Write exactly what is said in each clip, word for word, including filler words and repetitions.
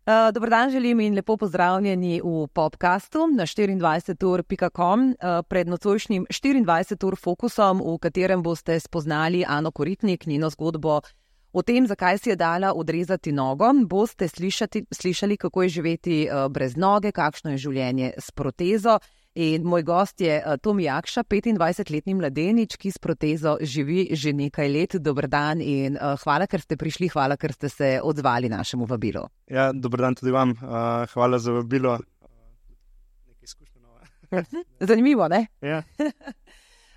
Uh, dober dan želim in lepo pozdravljeni v podcastu na štiriindvajset ur pika com uh, pred nocojšnjim štiriindvajset ur fokusom, v katerem boste spoznali Ano Koritnik, njeno zgodbo o tem, zakaj si je dala odrezati nogo. Boste slišati, slišali, kako je živeti uh, brez noge, kakšno je življenje s protezo. In moj gost je uh, Tomi Jakša, petindvajsetletni mladenič, ki s protezo živi že nekaj let. Dober dan in uh, hvala, ker ste prišli, hvala, ker ste se odzvali našemu vabilu. Ja, dober dan tudi vam. Uh, hvala za vabilo. Nekaj izkušnje nove. Zanimivo, ne? Ja.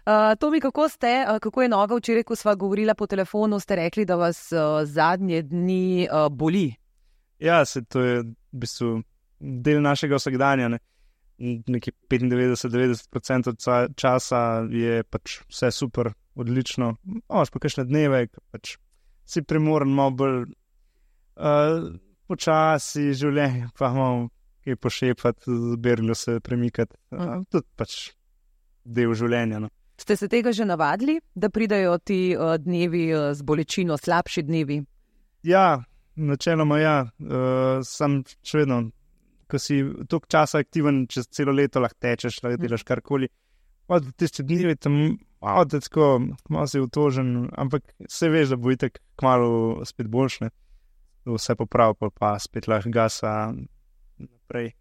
Uh, Tomi, kako ste, uh, kako je noga? Včeraj, ko sva govorila po telefonu, ste rekli, da vas uh, zadnje dni uh, boli. Ja, se to je v bistvu del našega vsakdanja, ne. Nekaj petindevetdeset do devetdeset procentov časa je pač vse super, odlično. Imaš pa kakšne dneve, ko pač si primoren, malo bolj uh, počasi življenje, pa malo kaj pošepati, zberilo se premikati. Uh, tudi pač del življenja, no. Ste se tega že navadili, da pridajo ti uh, dnevi uh, z bolečino, slabši dnevi? Ja, načeloma ja. Uh, sem še vedno, ko si toliko časa aktiven, čez celo leto lahko tečeš, lahko delaš karkoli. Od tiste dnevi tam, malo tako, malo si utožen, ampak se veš, da bo itak kmalu spet boljšne. Vse poprav, pa, pa spet lahko gasa naprej.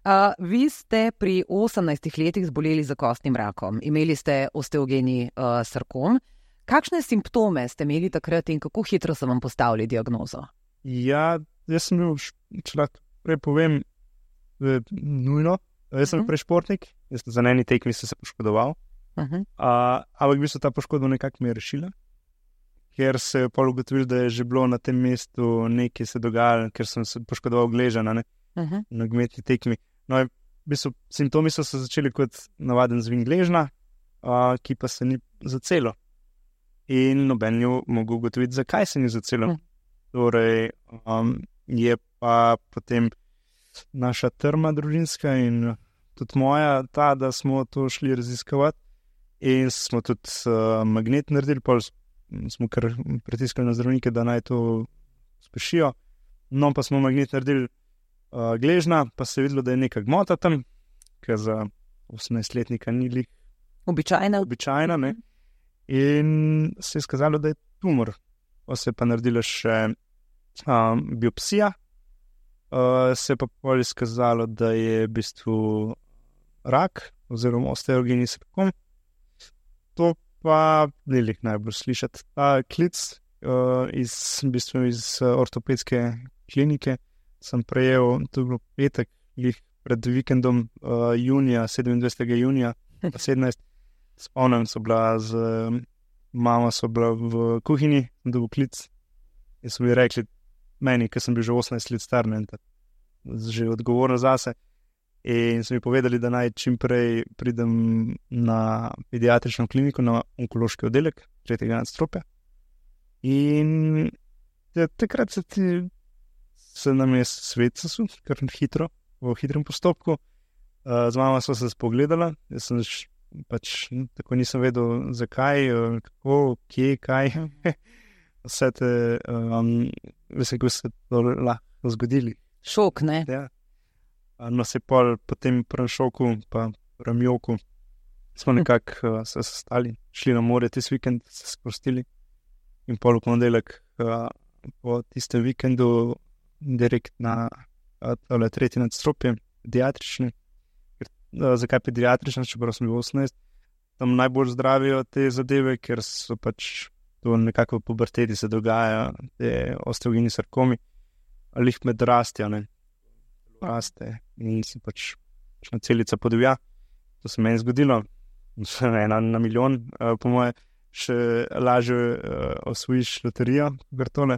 Uh, vi ste pri osemnajstih letih zboleli za kostnim rakom. Imeli ste osteogeni uh, sarkom. Kakšne simptome ste imeli takrat in kako hitro so vam postavili diagnozo? Ja, jaz sem bil, če lahko prej povem, nujno. Jaz sem bil prej športnik, jaz za eni tekmi sem se poškodoval. Uh-huh. Uh, ampak v bistvu ta poškodba nekako mi je rešila, ker se je pol ugotovil, da je že bilo na tem mestu nekaj se dogajalo, ker sem se poškodoval gležana, ne, uh-huh. na nogometni tekmi. No, v bistvu simptomi so se začeli kot navaden zvin gležna, uh, ki pa se ni zacelo. In noben je mogel ugotoviti, zakaj se ni zacelo. Uh-huh. Torej, um, je pa potem naša trma družinska in tudi moja ta, da smo to šli raziskovati in smo tudi uh, magnet naredili, pa smo kar pritiskali na zdravnike, da naj to spešijo. No, pa smo magnet naredili uh, gležna, pa se je videlo, da je neka gmota tam, ker za osemnajstletnika ni lih običajna. običajna, ne. In se je skazalo, da je tumor. Pa se je pa naredila še um, biopsija, uh, se je pa pol izkazalo, da je v bistvu rak oziroma osteogeni sarkom. To pa ni lih najbolj slišati. Ta klic uh, iz, v bistvu iz uh, ortopedske klinike sem prejel, to je bilo petek, lih pred vikendom uh, junija, sedemindvajsetega junija, pa sedemnajst, spomnim, so bila z um, mama so bila v kuhinji, dobil klic in so mi rekli, meni, ker sem bil že osemnajst let star, ne, že odgovorno zase, in so mi povedali, da naj čim prej pridem na pediatrično kliniko, na onkološki oddelek, tretjega nadstropja. In ja, takrat se, ti, se nam je svet sesul, kar hitro, v hitrem postopku. Uh, z mama sva se spogledala, jaz sem pač tako nisem vedel, zakaj, kako, kje, kaj. Vse te, um, vse, ko se to lahko zgodili. Šok, ne? Ja. No, se pol po tem prvem šoku, pa prvem joku, smo nekako uh, se sestali, šli na more tis vikend, se sprostili in pol v ponedeljek uh, po tistem vikendu direkt na uh, tretje nadstropje, pediatrični. Zakaj pediatrična, čeprav sem bil osemnajst, tam najbolj zdravijo te zadeve, ker so pač to nekako v puberteti se dogaja, te osteogeni sarkomi, ali jih med rastja, ne, raste in se pač na celica podivja. To se meni zgodilo, ena na milijon, po moje še lažje osvojiš loterijo, kar tole.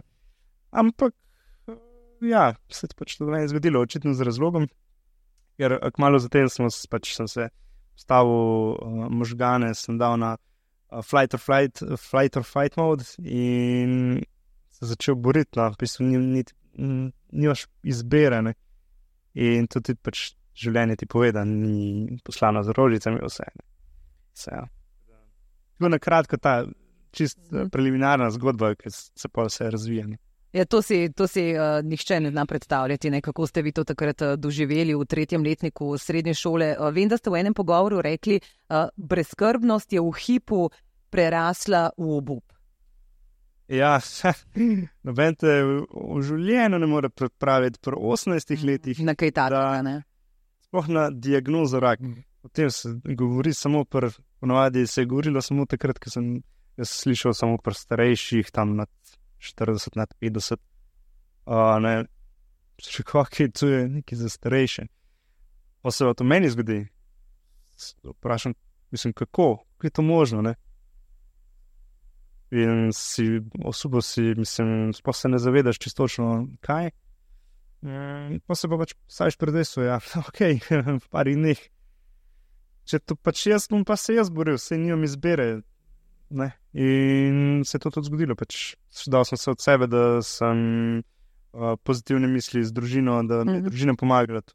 Ampak, ja, se pač to meni zgodilo, očitno z razlogom. Ker kmalu zatem sem, pač, sem se stavil uh, možgane, sem dal na uh, flight, or flight, uh, flight or fight mode in se začel boriti. No. V bistvu ni, ni, nimaš izbere, ne. In to ti pač življenje ti pove, da ni poslano z rožicami vse. Vse, ja. tako na kratko ta čist mm. preliminarna zgodba, ki se pa vse razvija. Ja, to si, to si uh, nihče ne zna predstavljati, ne, kako ste vi to takrat uh, doživeli v tretjem letniku srednje šole. Uh, vem, da ste v enem pogovoru rekli, uh, brezskrbnost je v hipu prerasla v obup. Ja, noben te v, v življenju ne more pripraviti pri osemnajstih letih. Na kaj takega, ne? Sploh na diagnozo rak. O tem se govori samo pri, ponavadi se je govorilo samo takrat, ko sem jaz slišal samo pri starejših, tam nad štirideset, nad petdeset. Uh, ne, še kakaj, to je nekaj za starejše. Pa se to meni zgodi. Vprašam, mislim, kako? Kako je to možno, ne? In si, osubo si, mislim, sploh se ne zavedaš čistočno, kaj. Mm, pa se pa pač staviš pred dejstvo, ja, okej, okay, v parih dneh. Če to pač jaz, bom pa se jaz boril, saj nimam izbere, ne. In se je to tudi zgodilo, pač dal sem se od sebe, da sem uh, pozitivne misli z družino, da mi je mm-hmm. družina pomagala.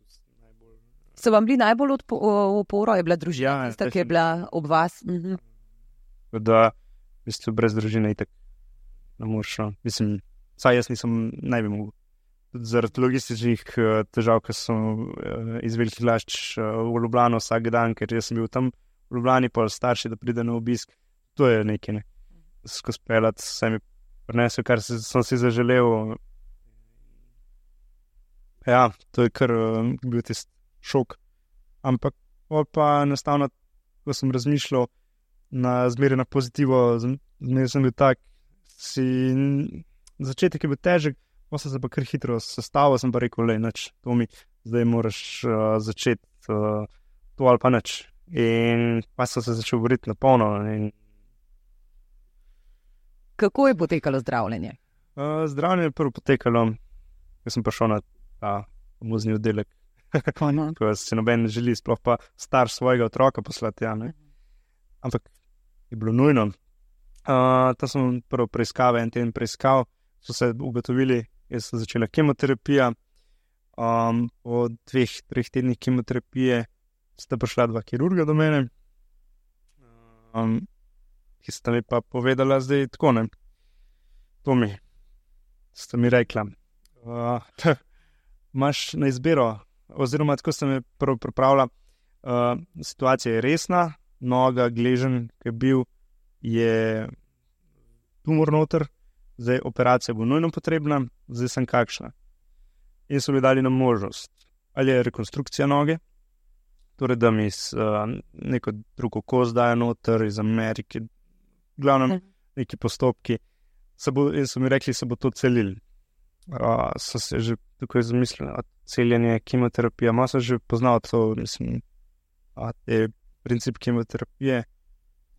So vam bili najbolj odpo- oporo, je bila družina, ja, tista, ki je bila ob vas? Mm-hmm. Da, v bistvu brez družine itak ne moreš, no. Mislim, saj jaz nisem naj bi mogel. Tudi zaradi logističnih uh, težav, ker sem uh, iz Velikih Lašč uh, v Ljubljano vsak dan, ker jaz sem bil tam v Ljubljani, pa starši, da pride na obisk. To je nekaj, ne. Skozi pelat se mi prinesel, kar si, sem si zaželel. Ja, to je kar uh, bil tisti šok. Ampak pa enostavno, ko sem razmišljal na zmeraj na pozitivo, zmeraj sem bil tak, si začetek je bil težek, pa sem se pa kar hitro sestavil, sem pa rekel, lej, nič, to mi, zdaj moraš uh, začeti uh, to ali pa nič. In pa sem se začel boriti na polno. In... Kako je potekalo zdravljenje? Uh, zdravljenje je prvo potekalo, ko sem prišel na ta muzni oddelek. Ko se noben ne želi, sploh pa starš svojega otroka poslati, ja, ne. Ampak je bilo nujno. Uh, ta sem prvo preiskave, en teden preiskav, so se ugotovili, jaz sem začela kemoterapija. Um, po dveh, treh tednih kemoterapije sta prišla dva kirurga do mene, um, ki sta mi pa povedala zdaj tako, ne. To mi, sta mi rekla, uh, imaš na izbiro, oziroma tako sta me prvo pripravila, uh, situacija je resna, noga, gležen, ki je bil, je tumor noter, zdaj operacija bo nujno potrebna, zdaj sem kakšna. In so mi dali na možnost, ali je rekonstrukcija noge, torej da mi uh, neko drugo kost dajo noter iz Amerike, glavno neki postopki, se bo, in so mi rekli, se bo to celili. Uh, so se že tukaj zamislili, celjenje, kemoterapija, malo sem že poznal to, mislim, a te princip kemoterapije.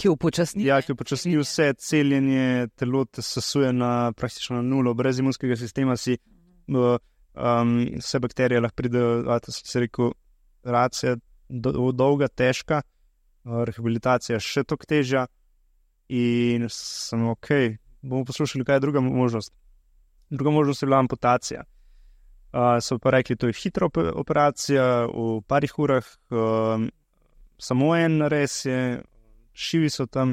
Ki upočasni. Ja, ki upočasni vse, celjenje, telo te sesuje na praktično na nulo, brez imunskega sistema si uh, um, vse bakterije lahko pridejo, a to se rekel, racija do, dolga, težka, uh, rehabilitacija še toliko težja in sem ok, bomo poslušali, kaj je druga možnost. Druga možnost je bila amputacija. Uh, so pa rekli, to je hitra operacija, v parih urah, uh, samo en nares je, šivi so tam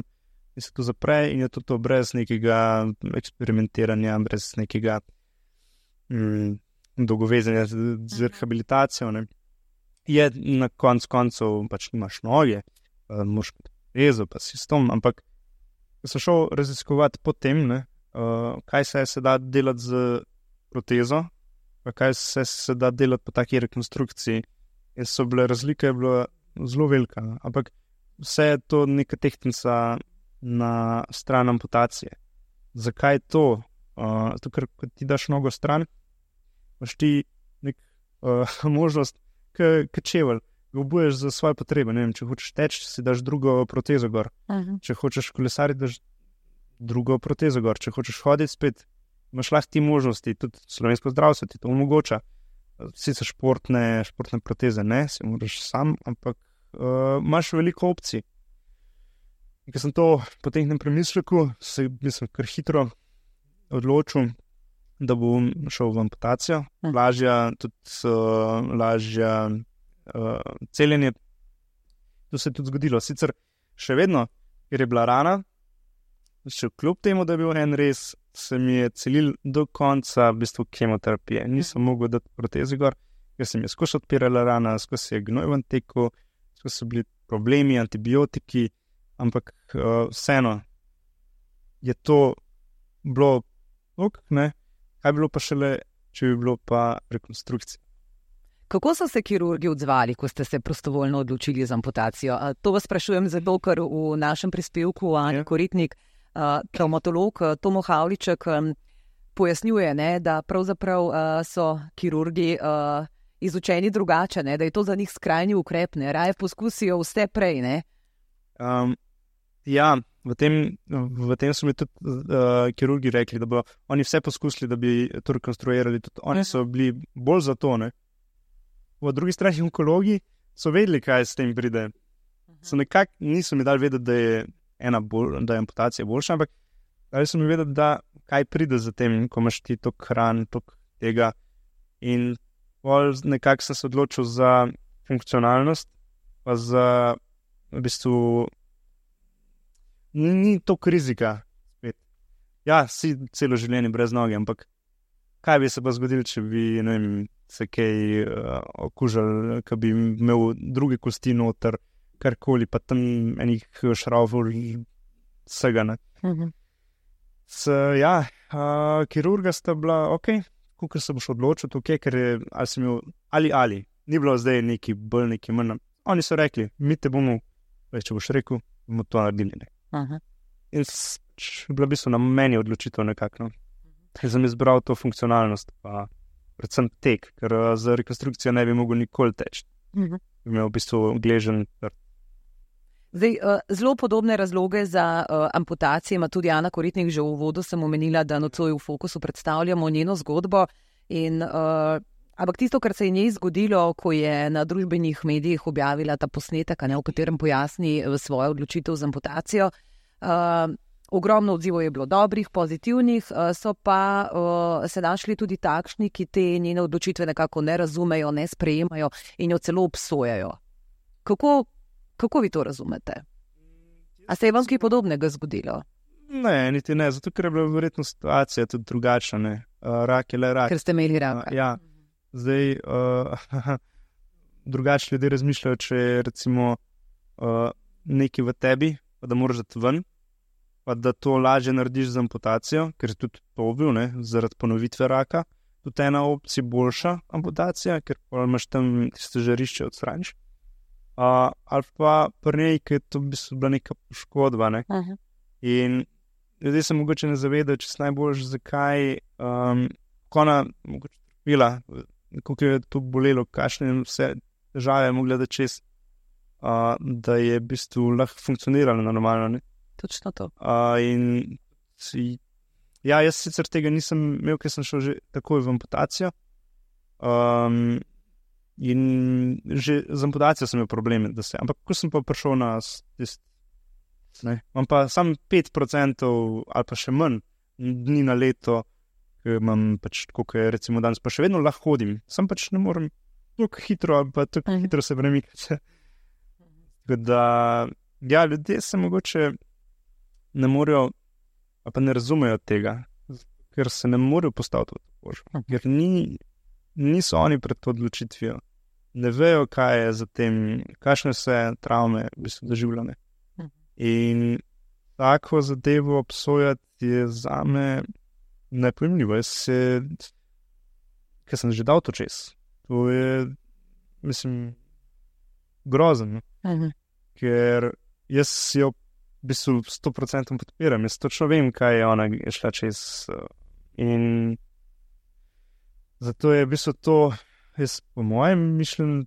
in se to zapre in je to, to brez nekega eksperimentiranja, brez nekega mm, dolgovezanja z, z rehabilitacijo. Ne. Je na konc koncev, pač nimaš noge, uh, moraš rezo, pa si s tom, ampak ko sem šel raziskovati potem, ne, uh, kaj se, se da delati z protezo, pa kaj se, se da delati po taki rekonstrukciji, in so bile razlike, je bila zelo velika, ampak vse je to neka tehtnica na stran amputacije. Zakaj to? Uh, to, ker ko ti daš nogo stran, imaš ti nek uh, možnost, k čevelj, ga obuješ za svoje potrebe. Ne vem, če hočeš teči, si daš drugo protezo gor. Uh-huh. Če hočeš kolesariti, daš drugo protezo gor. Če hočeš hoditi spet, imaš lahko ti možnosti, tudi slovensko zdravstvo ti to omogoča. Sicer športne, športne proteze ne, si moraš sam, ampak Uh, imaš veliko opcij. In ko sem to po tehnem premisleku, se mislim kar hitro odločil, da bom šel v amputacijo. Hm. Lažja, tudi uh, lažja uh, celjenje. To se je tudi zgodilo. Sicer še vedno ker je bila rana, še kljub temu, da je bil en res, se mi je celil do konca v bistvu kemoterapije. Nisem mogel dati protezi gor, ker se mi je skozi odpirala rana, skozi je gnoj ven tekel, skozi so bili problemi, antibiotiki, ampak uh, vseeno je to bilo ok, ne? Kaj bi bilo pa šele, če bi bilo pa rekonstrukcija. Kako so se kirurgi odzvali, ko ste se prostovoljno odločili za amputacijo? To vas sprašujem zato, ker v našem prispevku Anja Koritnik, traumatolog Tomo Havliček, pojasnjuje, ne, da pravzaprav so kirurgi izučeni drugače, ne, da je to za njih skrajni ukrep, ne, raje poskusijo vse prej. Ne? Um, ja, v tem, v tem so mi tudi uh, kirurgi rekli, da bo oni vse poskusili, da bi to rekonstruirali. Tudi oni so bili bolj za to, ne. V drugi strani onkologi so vedeli, kaj s tem pride. So nekako niso mi dali vedeti, da je, ena bolj, da je amputacija boljša, ampak dali so mi vedeti, da kaj pride za tem, ko imaš ti toliko hran, toliko tega. In nekako sem se odločil za funkcionalnost, pa za v bistvu ni, ni toliko rizika. Spet. Ja, si celo življenje brez noge, ampak kaj bi se pa zgodilo, če bi, ne vem, se kaj uh, okužili, ki bi imel druge kosti noter, karkoli, pa tam enih šravov vsega. Uh-huh. S, ja, uh, kirurga sta bila, ok, kako se boš odločil, ok, ker je, ali si imel, ali, ali, ni bilo zdaj neki bolj, neki manj. Oni so rekli, mi te bomo, če boš rekel, bomo to naredili. Uh-huh. In s, bila v bistvu na meni odločitev nekako. No. Ker sem izbral to funkcionalnost, pa predvsem tek, ker za rekonstrukcijo ne bi mogel nikoli teči. Uh-huh. Imel v bistvu gležen trd. Zdaj, zelo podobne razloge za uh, amputacije ima tudi Ana Koritnik. Že v uvodu sem omenila, da nocoj v Fokusu predstavljamo njeno zgodbo. In, uh, ampak tisto, kar se je njej zgodilo, ko je na družbenih medijih objavila ta posnetek, ne, v katerem pojasni svojo odločitev za amputacijo, uh, ogromno odzivov je bilo dobrih, pozitivnih, so pa uh, se našli tudi takšni, ki te njene odločitve nekako ne razumejo, ne sprejemajo in jo celo obsojajo. Kako, kako vi to razumete? A se je vam kaj podobnega zgodilo? Ne, niti ne, zato ker je bila verjetno situacija tudi drugačna. Ne. Uh, rak je le rak. Ker ste imeli raka. Uh, ja, zdaj uh, drugače ljudje razmišljajo, če je recimo uh, nekaj v tebi, pa da moraš dati ven, pa da to lažje narediš z amputacijo, ker je tudi to bil, ne, zaradi ponovitve raka, tudi ena opcija boljša amputacija, ker imaš tam tiste žarišče odstraniš. Uh, ali pa pri njej, ker je to v bistvu bila neka poškodba. Ne. Uh-huh. In ljudje se mogoče ne zavedajo, če se najbolj, zakaj um, ko ona mogoče trpila, koliko je to bolelo, kakšne vse težave je mogla da čez, uh, da je v bistvu lahko funkcionirala normalno. Ne. Točno to. Uh, in si, ja, jaz sicer tega nisem imel, ker sem šel že takoj v amputacijo. Um, in že z amputacijo sem imel probleme, da se, ampak ko sem pa prišel na tist, ne, imam pa samo pet procentov ali pa še manj dni na leto, ker imam pač, koliko je recimo danes, pa še vedno lahko hodim. Sam pač ne morem tako hitro, ali pa tako uh-huh. hitro se premikati. Tako da, ja, ljudje se mogoče ne morejo, pa ne razumejo tega, ker se ne morejo postaviti v to kožo. Ker ni, niso oni pred to odločitvijo. Ne vejo, kaj je za tem, kakšne se travme v bistvu doživljane. In tako zadevo obsojati je zame nepojmljivo. Jaz se, ker sem že dal to čez, to je, mislim, grozno. Uh-huh. Ker jaz jo v bistvu sto procentov podpiram. Jaz točno vem, kaj je ona šla čez. In zato je v bistvu to, jaz po mojem mišljenju,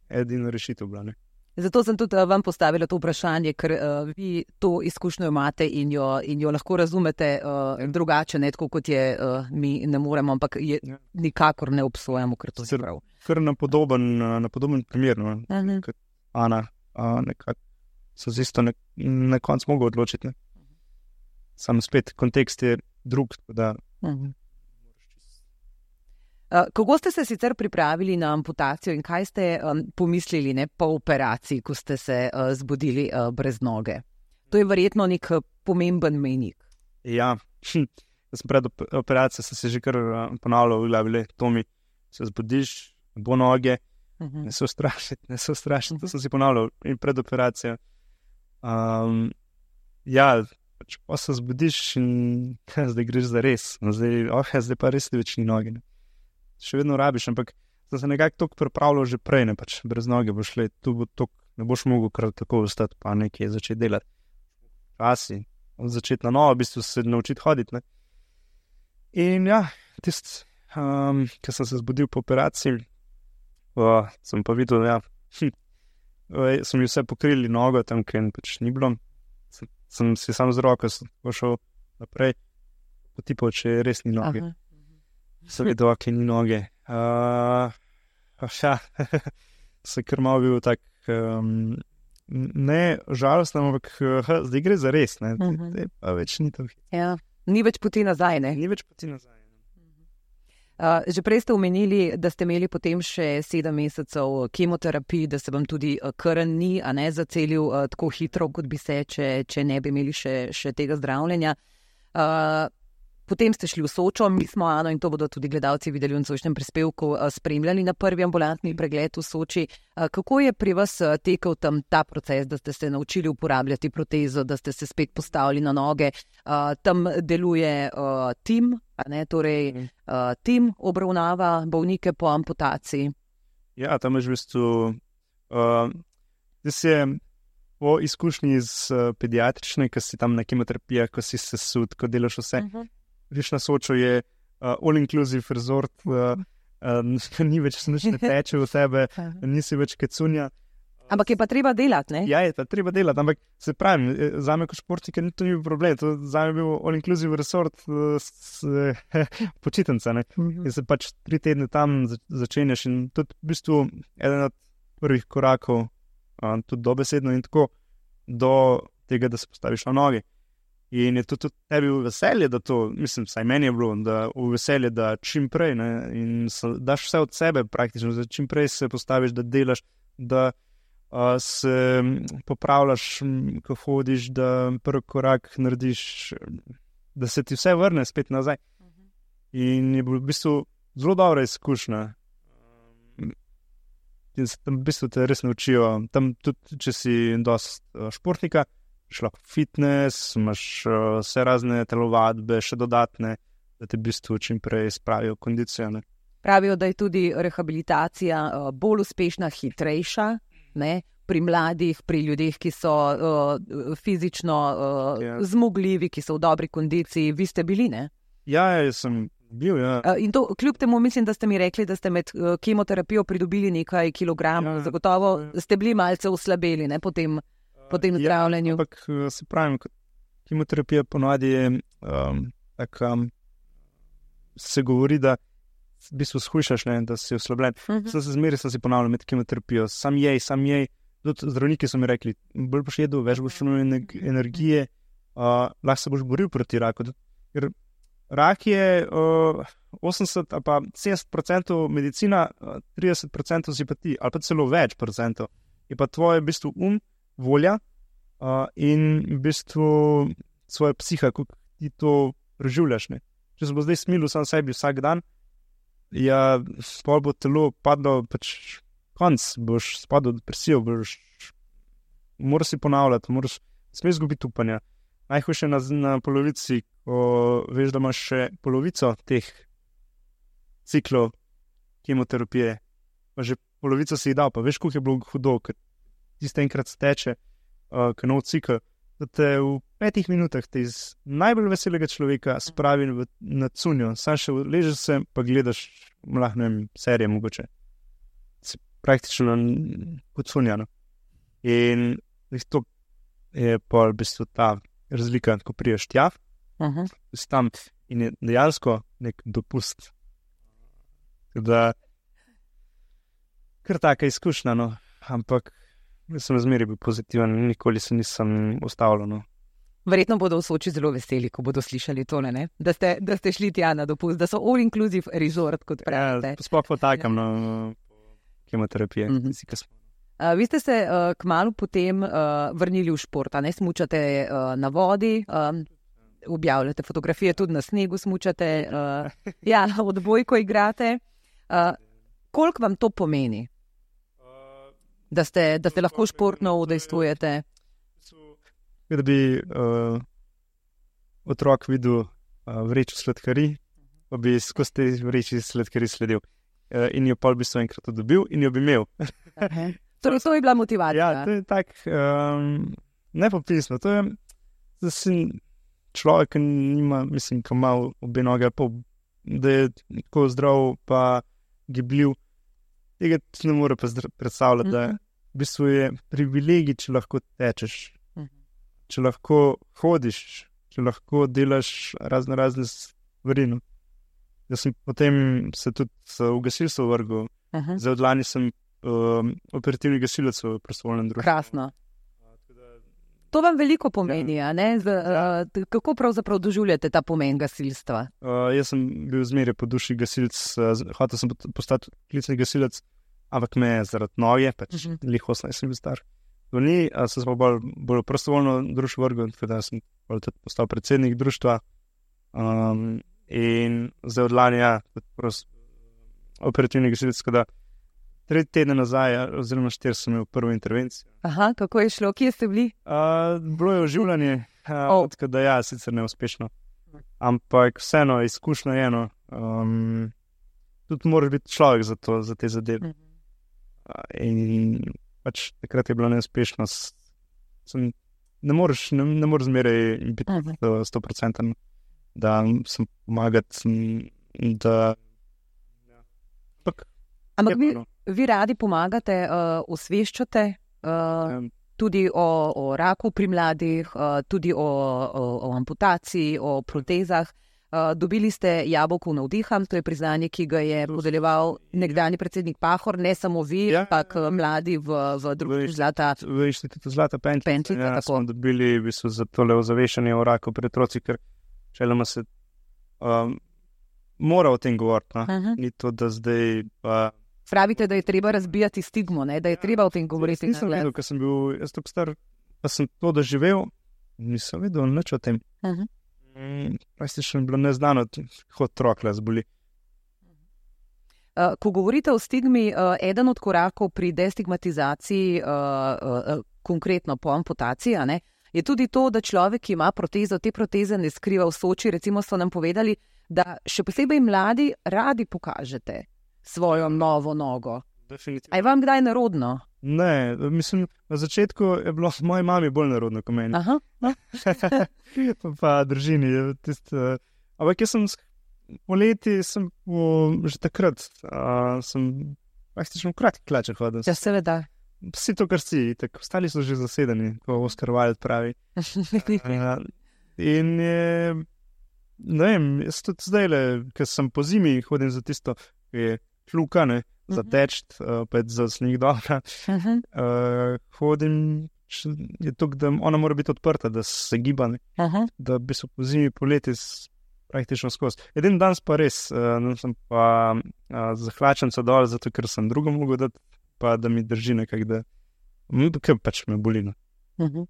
edina rešitev bila. Ne? Zato sem tudi vam postavila to vprašanje, ker uh, vi to izkušnjo imate in jo, in jo lahko razumete uh, drugače, ne tako kot je uh, mi ne moremo, ampak je, ja. Nikakor ne obsojamo, ker to je prav. Kar na podoben, na podoben primer, no? uh-huh. Kot Ana, uh, nekako so z isto na, na koncu mogli odločiti. Ne? Sam spet, kontekst je drug. Da... Uh-huh. Uh, kako ste se sicer pripravili na amputacijo in kaj ste um, pomislili, ne, po operaciji, ko ste se uh, zbudili uh, brez noge? To je verjetno nek pomemben mejnik. Ja, hm. sem pred operacijo sem se že kar ponavljal v glavi, to mi se zbudiš, bo noge, uh-huh. ne se ustrašiti, ne se ustrašiti, uh-huh. to sem si ponavljal in pred operacijo. Um, ja, pač pa se zbudiš in zdaj greš za res, zdaj, oh, zdaj pa res ni več ni noge. Ne. Še vedno rabiš, ampak sem se nekako toliko pripravljal že prej, ne, pač brez noge boš šli, tu bo toliko, ne boš mogel kar tako ostati, pa nekaj začeti delati. Časi, začeti na novo, v bistvu se naučiti hoditi, ne. In ja, tisti, um, ko sem se zbudil po operaciji, uh, sem pa videl, ja, hm, uh, so mi vse pokrili nogo, tam, ker pač ni bilo. Sem, sem si sam z roko pošel naprej, potipal, če res ni noge. Aha. Sem videl, ok, ni noge. Uh, ja, se kar malo bil tak, um, ne žalosten, ampak uh, zdaj gre za res, ne, uh-huh. te pa več ni to. Ja. Ni več poti nazaj, ne? Ni več poti nazaj. Uh, že prej ste omenili, da ste imeli potem še sedem mesecev kemoterapij, da se vam tudi uh, krn ni, a ne zacelil uh, tako hitro, kot bi se, če, če ne bi imeli še, še tega zdravljenja. Uh, potem ste šli v Sočo, mi smo, Ano, in to bodo tudi gledalci videli v nocojšnjem prispevku, uh, spremljali na prvi ambulantni pregled v Soči. Uh, kako je pri vas uh, tekel tam ta proces, da ste se naučili uporabljati protezo, da ste se spet postavili na noge? Uh, tam deluje uh, tim, a ne, torej uh, tim obravnava bolnike po amputaciji. Ja, tam je v bistvu, uh, da se po izkušnji iz uh, pediatrične, ko si tam na kemoterapijah, ko si se sud, ko delaš vse, uh-huh. Riš na Sočo je uh, all-inclusive resort, uh, uh, ni več nič ne teče v tebe, nisi več kecunja. Ampak je pa treba delati, ne? Ja, je pa treba delati, ampak se pravim, zame kot športnika ni to ni problem, to zame je bil all-inclusive resort uh, s uh, počitnica, ne? Uh-huh. In se pač tri tedne tam začenjaš in tudi v bistvu eden od prvih korakov, uh, tudi dobesedno in tako, do tega, da se postaviš na noge. In je to tudi tebi v veselje, da to, mislim, saj meni je bilo, da v veselje, da čim prej, ne, in so, daš vse od sebe praktično, da čim prej se postaviš, da delaš, da uh, se popravljaš, ko hodiš, da prvi korak narediš, da se ti vse vrne spet nazaj. Uh-huh. In je bilo v bistvu zelo dobra izkušnja. In se tam v bistvu te res naučijo, tam tudi, če si dosti uh, športnika, šlak fitness, imaš uh, vse razne telovadbe, še dodatne, da te v bistvu čim prej spravijo kondicijo. Ne. Pravijo, da je tudi rehabilitacija uh, bolj uspešna, hitrejša, ne, pri mladih, pri ljudeh, ki so uh, fizično uh, ja. zmogljivi, ki so v dobri kondiciji. Vi ste bili, ne? Ja, jaz sem bil, ja. Uh, in to kljub temu mislim, da ste mi rekli, da ste med uh, kemoterapijo pridobili nekaj kilogramov. Ja, zagotovo ja. ste bili malce oslabeli, ne, potem po tem zdravljenju. Ja, ampak se pravim, kemoterapija ponavadi je um, tak, um, se govori, da v bistvu shujšaš, ne, da si oslabljen. Uh-huh. Sem se zmeri, sem si ponavljal med kemoterapijo. Sam jej, sam jej. Tudi zdravniki so mi rekli, bolj boš jedel, več boš imel energije, uh, lahko se boš boril proti raku. Ker rak je uh, osemdeset ali pa sedemdeset procentov medicina, uh, trideset procentov simpatij, ali pa celo več procentov. Je pa tvoje v bistvu um, volja uh, in v bistvu svoja psiha, kako ti to preživljaš. Ne? Če se bo zdaj smilil sam sebi vsak dan, ja, pol bo telo padlo, pač konc, boš spadal v depresijo, boš, moraš si ponavljati, moraš, smej izgubiti upanja. Najhujše na, na polovici, ko veš, da imaš še polovico teh ciklov kemoterapije, pa že polovico si jih dal, pa veš, koliko je bilo hudo, ker tiste enkrat steče, uh, ko nov cikl, da te v petih minutah te iz najbolj veselega človeka spravi v, na cunjo. Sam še ležeš se, pa gledaš, lahko ne vem, serije mogoče. Si praktično kot cunjano. In to je pa v bistvu ta razlika, ko priješ tja, uh-huh. si tam in je dejansko nek dopust. Da, kar taka izkušnja, no, ampak jaz sem zmeri bil pozitiven, nikoli se nisem ustavljal. No. Verjetno bodo v Soči zelo veseli, ko bodo slišali tole, ne? Da ste, da ste šli tja na dopust, da so all-inclusive resort, kot pravite. Ja, sploh potakam ja. na kemoterapije. Mm-hmm. Uh, vi ste se uh, kmalu potem uh, vrnili v šport, a ne smučate uh, na vodi, um, objavljate fotografije, tudi na snegu smučate, uh, ja, odbojko igrate. Uh, koliko vam to pomeni, da ste, da ste lahko športno udejstvujete? Da bi uh, otrok videl uh, vrečo sladkari, pa bi skozi te vreči sladkari sledil. Uh, in jo pa v bistvu enkrat dobil in jo bi imel. Torej, to je bila motivacija. Ja, to je tak um, nepopisno. To je, da si človek, ki nima, mislim, ki ima obe noge, pa, da je tako zdrav, pa gibljiv. Tega ne more pa predstavljati, da v bistvu je privilegij, če lahko tečeš, če lahko hodiš, če lahko delaš razne razne stvari. No. Jaz sem potem se tudi v gasilstvo vrgel. Zdaj od lani sem um, operativni gasilec v prostovoljnem društvu. Krasno. To vam veliko pomeni, ja. Ne? Z, uh, kako pravzaprav doživljate ta pomen gasilstva? Uh, jaz sem bil zmeraj po duši gasilec, uh, hotel sem postati klicni gasilec, ampak me je zaradi noge, pač uh -huh. lih osemnajst sem bil star. To ni, uh, sem pa bolj, bolj prostovoljno društvo vrgel, tako da sem postal predsednik društva. Um, in zdaj od lani, ja, prost, operativni gasilec, tako da tri tedne nazaj, oziroma štiri, sem imel prvo intervencijo. Aha, kako je šlo? Kje ste bili? Uh, bilo je oživljanje, uh, oh. tako da ja, sicer neuspešno. Ampak vseeno, izkušnja je eno. Um, tudi moraš biti človek za, to, za te zadeve. Mm -hmm. uh, in pač takrat je bila neuspešnost. Sem, ne moreš, ne, ne moreš zmeraj biti mm -hmm. sto procentno, da sem pomagati, da... Ja. Pak, Ampak vi, vi radi pomagate, uh, osveščate uh, um. tudi o, o raku pri mladih, uh, tudi o, o, o amputaciji, o protezah. Uh, dobili ste jabolko navdiha, to je priznanje, ki ga je podeljeval nekdanji predsednik Pahor, ne samo vi, ampak ja, mladi v, v društvu Zlata. V inštitutu Zlata Pentljica, ja, smo dobili v bistvu za tole ozaveščanje o raku pri otrocih, ker šeloma se um, mora o tem govoriti. No? Uh -huh. Ni to, da zdaj pa... Pravite, da je treba razbijati stigmo, ne? Da je treba o tem govoriti. Jaz nisem vedel, ker sem bil jaz tako star, pa sem to doživel, nisem vedel nič o tem. Uh -huh. mm, Praktično je bilo neznano, kako otrok le zboli. Uh, ko govorite o stigmi, uh, eden od korakov pri destigmatizaciji, uh, uh, konkretno po amputaciji, ne, je tudi to, da človek, ki ima protezo, te proteze ne skriva v Soči. Recimo so nam povedali, da še posebej mladi radi pokažete svojo novo nogo. Definitivno. A je vam kdaj nerodno? Ne, mislim, na začetku je bilo moji mami bolj nerodno kot meni. Aha, no. pa, pa družini. Tist, uh, ampak jaz sem poleti, sem po, že takrat, uh, sem praktično v kratkih hlačah hodil. Ja, seveda. Vsi to, kar si, tako ostali so že zasedeni, ko Oskar Wilde pravi. uh, in je, ne vem, jaz tudi zdaj le, ker sem po zimi hodim za tisto, ki je kljuka, ne, za teč, uh, pa je za sneg dobra. Uh -huh. uh, hodim, je to, da ona mora biti odprta, da se giba, uh -huh. da bi se po zimi, poleti praktično skozi. Edin dan pa res, uh, sem pa uh, zahlačen se dol, zato ker sem drugo mogel dati, pa da mi drži nekak, da kaj pač me boli. Uh -huh.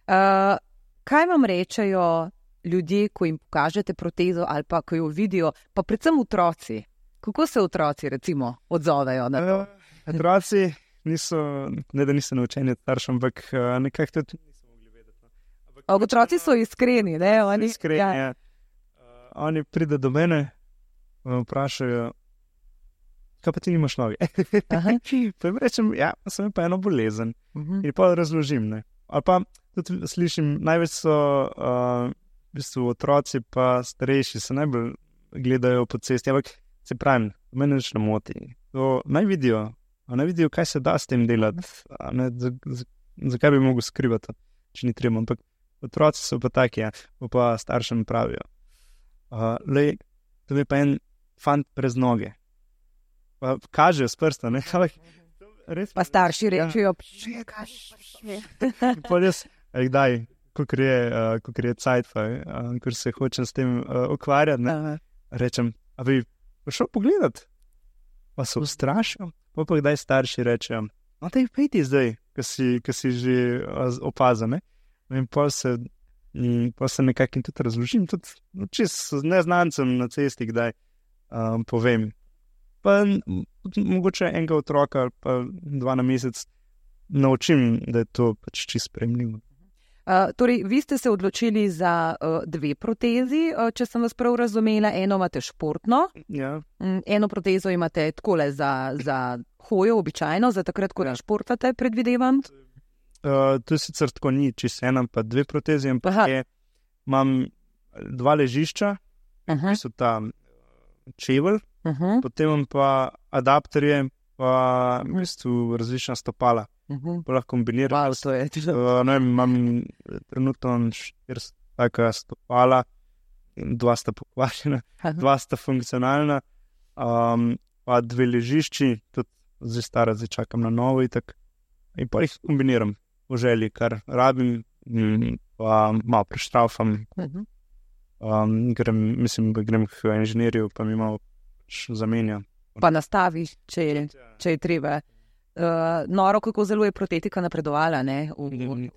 uh, kaj vam rečejo ljudje, ko jim pokažete protezo ali pa ko jo vidijo, pa predvsem otroci? Kako se otroci, recimo, odzovejo na to? Uh, otroci niso, ne da niso naučeni staršem, ampak uh, nekako tudi niso mogli vedeti. Ampak, otroci so iskreni, ne? Oni, iskreni, ja. Ja. Uh, oni pride do mene, me vprašajo, kaj pa ti nimaš noge? Pa jim rečem, ja, sem pa eno bolezen. Uh -huh. In pa razložim, ne. Ali pa tudi slišim, največ so uh, v bistvu otroci pa starejši, se najbolj gledajo po cesti, ampak se pravim, mene nič ne moti. To naj vidijo, naj vidijo, kaj se da s tem delati, zakaj bi mogel skrivati, če ni treba. Ampak otroci so pa taki, ja, pa staršem pravijo. Uh, lej, to je pa en fant brez noge. Pa kažejo s prsta, ne? Res, pa starši rečejo, ja. Pa jaz, kdaj, kakor je, uh, kakor je cajt, uh, ker se hočem s tem uh, ukvarjati, ne? Rečem, a bi prišel pogledat? pa se ustrašim, pa pa kdaj starši rečejo, no, te pejti zdaj, ki si, ki si že opazane. In pa se, pa se nekako tudi razložim, tudi čist neznancem na cesti, kdaj um, povem. Pa mogoče enega otroka, pa dva na mesec, naučim, da je to pač čisto sprejemljivo. Uh, torej, vi ste se odločili za uh, dve protezi, uh, če sem vas prav razumela. Eno imate športno, ja. um, eno protezo imate takole za, za hojo, običajno, za takrat, ko ja. športate, predvidevam. Uh, to je sicer tako ni, če se ena pa dve protezi, ampak je, imam dva ležišča, uh-huh. ki so ta čevelj, uh-huh. potem imam pa adapterje, pa v bistvu različna stopala. Uh-huh. Pa lahko kombiniram. Wow, to je. Uh, ne, imam trenutno štiri taka stopala, dva sta pokvarjena, uh-huh. dva sta funkcionalna, um, pa dve ležišči, tudi zdaj stara, zdaj čakam na novo itak. In pa jih kombiniram v želji, kar rabim, pa malo preštraufam. Uh-huh. Um, grem, mislim, da grem k inženirju, pa mi malo zamenja. Pa nastaviš, če je, če je treba. Uh, noro, kako zelo je protetika napredovala, ne? V, v,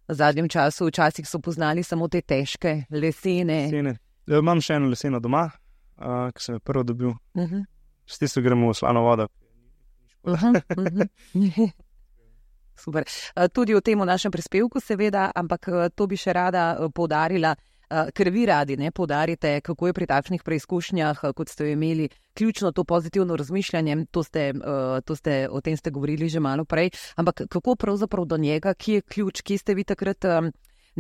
v zadnjem času, včasih so poznali samo te težke lesene. lesene. Ja, imam še eno leseno doma, uh, ki sem jo prvo dobil. Uh-huh. S tisto gremo v slano vodo. Uh-huh. Uh-huh. Super. Uh, tudi o tem v našem prispevku seveda, ampak uh, to bi še rada uh, poudarila, uh, ker vi radi ne, poudarite, kako je pri takšnih preizkušnjah, uh, kot ste jo imeli, ključno to pozitivno razmišljanje, to ste, uh, to ste, o tem ste govorili že malo prej, ampak kako pravzaprav do njega, ki je ključ, ki ste vi takrat um,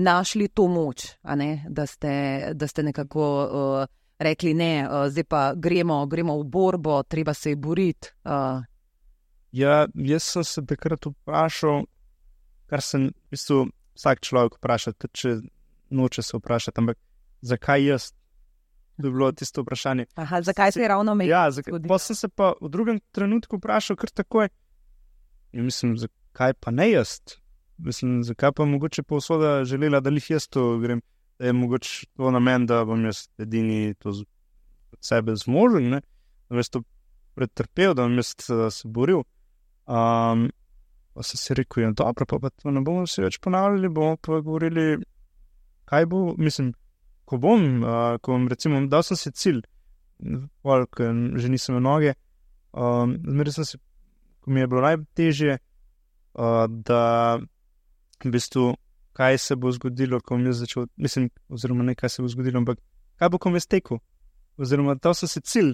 našli to moč, a ne, da ste, da ste nekako uh, rekli ne, uh, zdaj pa gremo, gremo v borbo, treba se je boriti. Uh. Ja, jaz sem se takrat vprašal, kar sem, v bistvu, vsak človek vpraša, tudi če noče se vprašati, ampak zakaj jaz? To je bilo tisto vprašanje. Aha, zakaj se je ravno me? Ja, zakaj, pa sem se pa v drugem trenutku vprašal kar takoj. In mislim, zakaj pa ne jaz? Mislim, zakaj pa mogoče pa usoda želela, da lih jaz to grem, da je mogoče to namen, da bom jaz edini to z, od sebe zmožen, ne? Da bom jaz to pretrpel, da bom jaz se boril. Um, pa sem si rekel, ja, dobro, pa, pa to ne bomo se več ponavljali, bomo pa govorili, kaj bo, mislim, ko bom, uh, ko bom recimo, dal sem si cilj, koliko že nisem v noge, um, zmeraj sem si, ko mi je bilo najtežje, uh, da v bistvu, kaj se bo zgodilo, ko bom jaz začel, mislim, oziroma ne kaj se bo zgodilo, ampak kaj bo, ko bom jaz tekel, oziroma dal sem si cilj,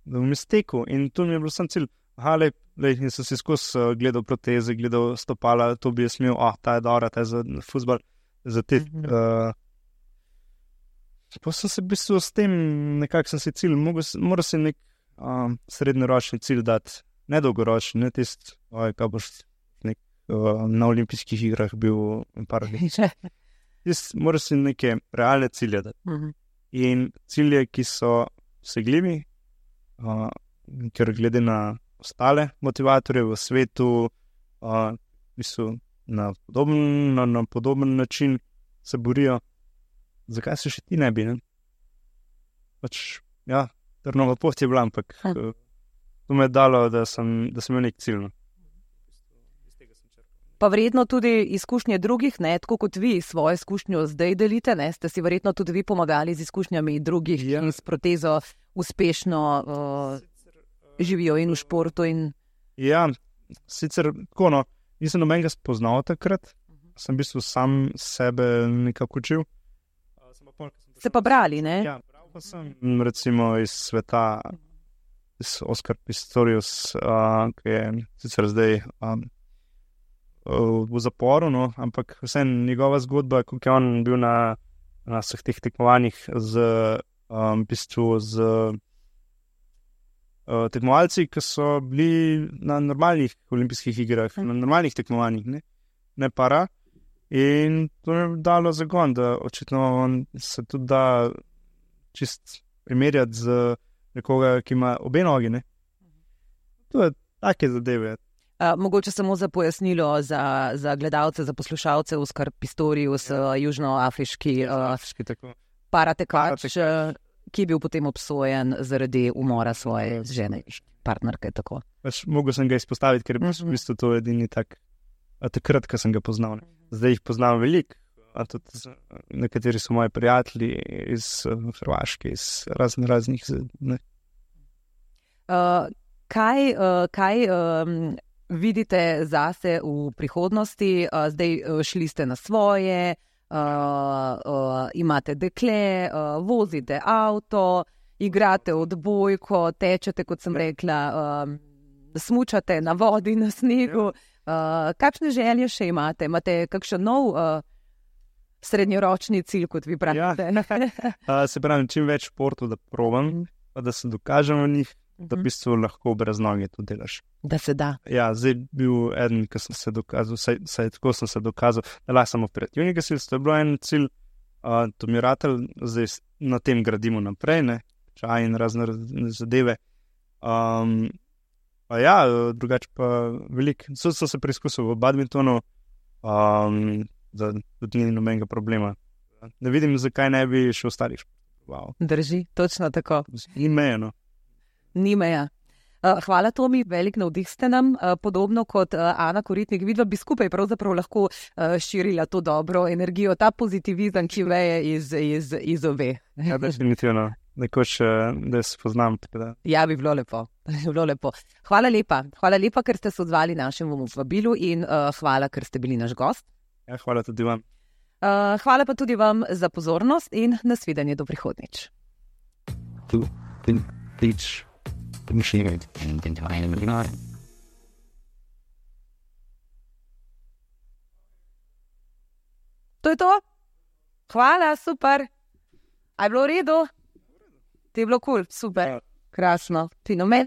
da bom jaz tekel in to mi je bilo sam cilj. Aha, lej, lej, in sem si skozi uh, gledal proteze, gledal stopala, to bi jaz imel, ah, ta je dobra, ta je za fuzbal, za te... Uh, Pa sem se v bistvu s tem, nekako sem si cilj, moral si nek um, srednjeročni cilj dati, ne dolgoročni, ne tisti, kaj boš nek, uh, na olimpijskih igrah bil in par let. Moral si neke realne cilje dati. Uh-huh. In cilje, ki so vsegljivi, uh, ker glede na ostale motivatorje v svetu, uh, v bistvu na podoben, na, na podoben način se borijo. Zakaj se še ti ne bi, ne? Pač, ja, trnova pot je bila, ampak uh, to me je dalo, da sem, da sem imel nek cilj. Pa verjetno tudi izkušnje drugih, ne, tako kot vi svojo izkušnjo zdaj delite, ne, ste si verjetno tudi vi pomagali z izkušnjami drugih, ja. In s protezo uspešno uh, živijo in v športu. In... Ja, sicer tako, no, nisem nobenega spoznal takrat, uh-huh. Sem v bistvu sam sebe nekako učil. Se pa brali, ne? Ja, bral pa sem, recimo iz sveta, iz Oskar Pistorius, uh, ki je sicer zdaj um, v zaporu, no, ampak vseeno njegova zgodba, kako je on bil na, na vseh teh tekmovanjih z, um, v bistvu z uh, tekmovalci, ki so bili na normalnih olimpijskih igrah, hm. na normalnih tekmovanjih, ne, ne para. In to mi je dalo zagon, da očitno on se tudi da čist primerjati z nekoga, ki ima obe nogi, ne. To je take zadeve. Uh, mogoče samo za pojasnilo za, za gledalce, za poslušalce, Oskar Pistorius, ja. uh, južnoafriški uh, paratekač. ki je bil potem obsojen zaradi umora svoje žene, partnerke. Tako. Pač mogel sem ga izpostaviti, ker je mm-hmm. v bistvu to edini tak, a takrat, ko sem ga poznal. Ne. Zdaj jih poznam veliko, a tudi nekateri so moji prijatelji iz uh, Hrvaške, iz raznih raznih. Ne. Uh, kaj uh, kaj um, vidite zase v prihodnosti? Uh, zdaj uh, šli ste na svoje, uh, uh, imate dekle, uh, vozite avto, igrate odbojko, tečete, kot sem rekla, uh, smučate na vodi, na snegu. Uh, kakšne želje še imate? Imate kakšen nov uh, srednjeročni cilj, kot vi pravite? Ja. uh, se pravi, čim več športov, da probam, mm. pa da se dokažem v njih, mm-hmm. da v bistvu lahko brez noge to delaš. Da se da. Ja, zdaj bil eden, ki sem se dokazal, saj, saj tako sem se dokazal, da lahko sem operativni gasilec, to je bilo en cilj, uh, to mi je ratelj, zdaj na tem gradimo naprej, ne, čaj in razne zadeve. Um, pa ja, drugače pa veliko. Sod sem se preizkusil v badmintonu, um, da tudi ni nobenega problema. Ne vidim, zakaj ne bi še ostalih športov. Wow. Drži, točno tako. Ni meja, no. Ni meja. Hvala, Tomi, velik navdih ste nam, podobno kot Ana Koritnik. Vidva bi skupaj pravzaprav lahko širila to dobro energijo, ta pozitivizem, ki veje iz, iz, iz ove. Ja, definitivno. Nekoč, da se poznam. Da. Ja, bi bilo lepo. bi bilo lepo. Hvala lepa. Hvala lepa, ker ste se odzvali našemu vabilu in uh, hvala, ker ste bili naš gost. Ja, hvala tudi vam. Uh, hvala pa tudi vam za pozornost in nasvidenje do prihodnjič. To je to? Hvala, super. A je bilo v redu? Ti je bilo kul, cool, super, krasno, fenomen.